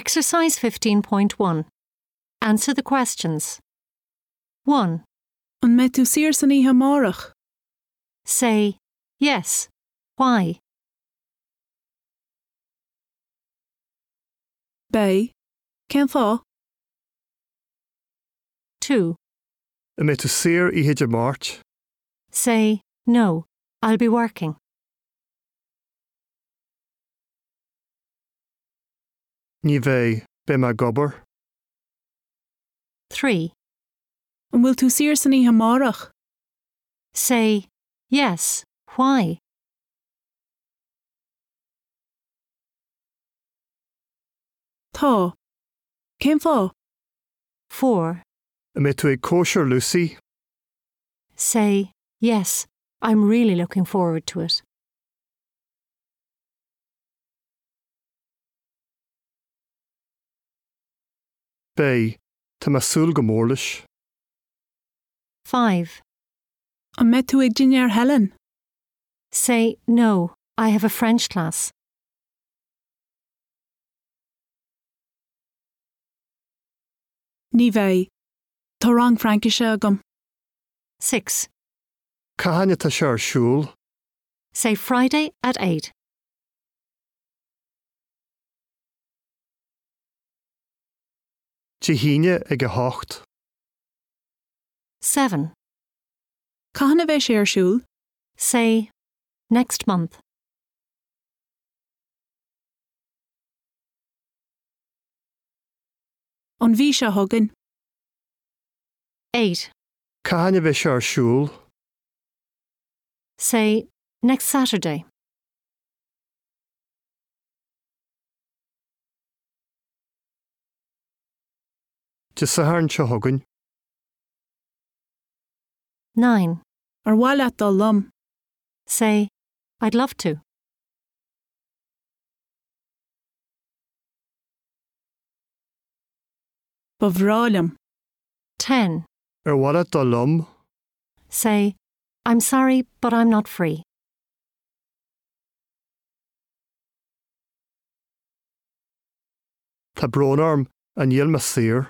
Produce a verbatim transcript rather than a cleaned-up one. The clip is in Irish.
Exercise fifteen point one. Answer the questions. one. An mbeidh tú saor san oíche amárach? Say, yes. Why? Beidh. Cén fáth? two. An mbeidh tú saor oíche Dé Máirt? Say, no, I'll be working. Ní bheidh, beidh mé ag obair. three. An bhfuil tú saor san oíche amárach? Say, yes, why? Tá. Cén fáth? four. An mbeidh tú ag cóisir Lucy? Say, yes, I'm really looking forward to it. Beidh, tá mé ag súil go mór leis. five. An mbeidh tú ag dinnéar Helen? Say, no, I have a French class. Ní bheidh. Tá rang Fraincise agam. six. Cathain atá sé ar siúl? Say Friday at eight. Dé hAoine ag a hocht. seven. Cathain a bheidh sé ar siúl? Say, next month. An mhí seo chugainn. eight. Cathain a bheidh sé ar siúl? Say, next Saturday. Dé Sathairn seo chugainn. nine. Ar mhaith leat dul liom? Say, I'd love to. Ba bhreá liom. ten. Ar mhaith leat dul liom? Say, I'm sorry, but I'm not free. Tá brón orm, níl mé saor.